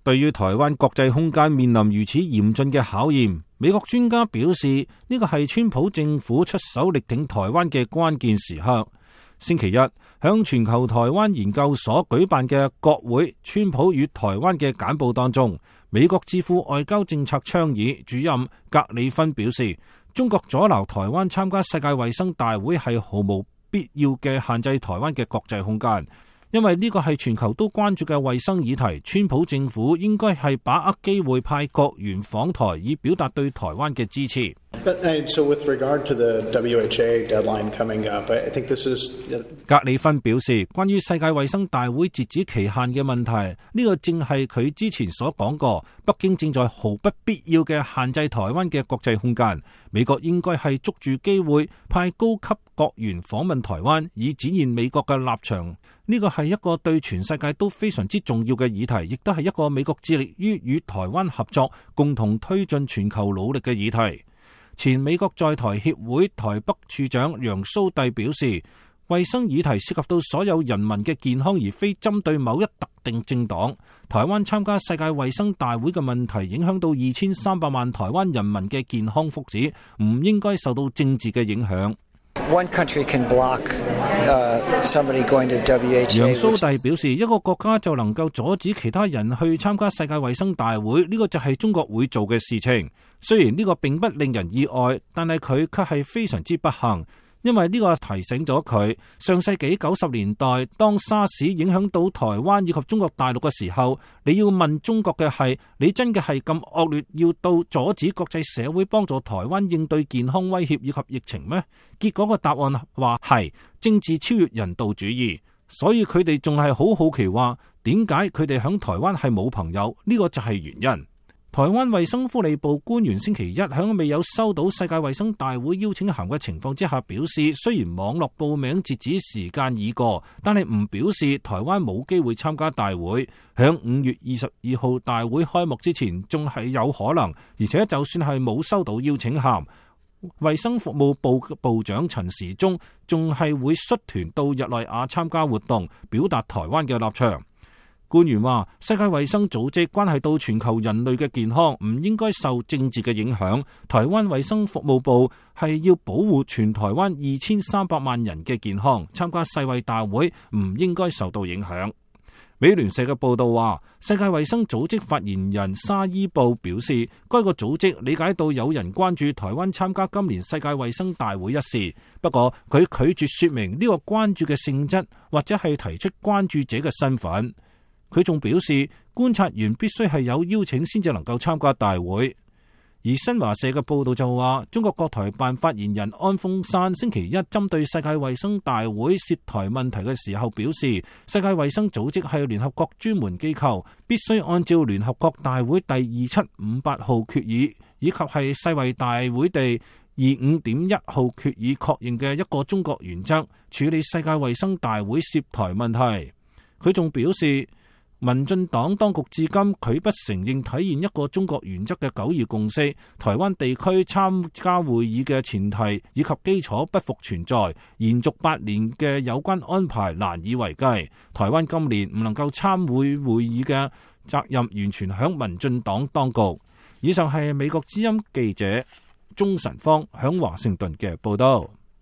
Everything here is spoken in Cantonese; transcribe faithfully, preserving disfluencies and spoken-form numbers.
對於台灣國際空間面臨如此嚴峻嘅考驗，美國專家表示呢個係川普政府出手力挺台灣嘅關鍵時刻。星期一，響全球台灣研究所舉辦嘅國會川普與台灣嘅簡報當中，美國智庫外交政策倡議主任格里芬表示，中國阻撓台灣參加世界衛生大會係毫無必要嘅限制台灣嘅國際空間，因為呢個係全球都關注嘅衛生議題。川普政府應該係把握機會派國員訪台，以表達對台灣嘅支持。格里芬表示，關於世界衛生大會截止期限嘅問題，呢個正係佢之前所講過，北京正在毫不必要嘅限制台灣嘅國際空間。美國應該係捉住機會派高級國員訪問台灣，以展現美國嘅立場。呢個係一個對全世界都非常之重要嘅議題，亦都係一個美國致力於與台灣合作，共同推進全球努力嘅議題。前美國在台協會台北處長楊蘇棣表示，衛生議題涉及到所有人民嘅健康，而非針對某一特定政黨。台灣參加世界衛生大會嘅問題影響到二千三百萬台灣人民嘅健康福祉，唔應該受到政治嘅影響。One country can block, uh, somebody going to W H O。 楊蘇棣表示，一個國家就能夠阻止其他人去參加世界衛生大會，呢個就係中國會做嘅事情。雖然呢個並不令人意外，但係佢卻係非常之不幸，因為呢個提醒咗佢，上世紀九十年代當沙士影響到台灣以及中國大陸嘅時候，你要問中國嘅係，你真嘅係咁惡劣，要到阻止國際社會幫助台灣應對健康威脅以及疫情咩？結果個答案話係政治超越人道主義，所以佢哋仲係好好奇話，點解佢哋響台灣係冇朋友？呢個就係原因。台灣衛生福利部官員星期一響未有收到世界衛生大會邀請函嘅情況之下表示，雖然網絡報名截止時間已過，但係唔表示台灣冇機會參加大會。響五月二十二號大會開幕之前仲係有可能，而且就算係冇收到邀請函，衛生服務部部長陳時中仲係會率團到日內瓦參加活動，表達台灣嘅立場。官員話，世界衛生組織關係到全球人類嘅健康，唔應該受政治嘅影響。台灣衛生服務部係要保護全台灣二千三百萬人嘅健康，參加世衛大會唔應該受到影響。美聯社嘅報道話，世界衛生組織發言人沙伊布表示，該個組織理解到有人關注台灣參加今年世界衛生大會一事，不過佢拒絕說明呢個關注嘅性質，或者係提出關注者嘅身份。佢仲表示，觀察員必須係有邀請先至能夠參加大會。而新華社嘅報道就話，中國國台辦發言人安峰山星期一針對世界衛生大會涉台問題嘅時候表示，世界衛生組織係聯合國專門機構，必須按照聯合國大會第二七五八號決議以及係世衛大會第二五點一號決議確認嘅一個中國原則處理世界衛生大會涉台問題。佢仲表示，民進黨當局至今拒不承認體現一個中國原則嘅九二共識，台灣地區參加會議嘅前提以及基礎不復存在，延續八年嘅有關安排難以為繼。台灣今年唔能夠參會會議嘅責任完全響民進黨當局。以上係美國之音記者鍾晨芳響華盛頓嘅報道。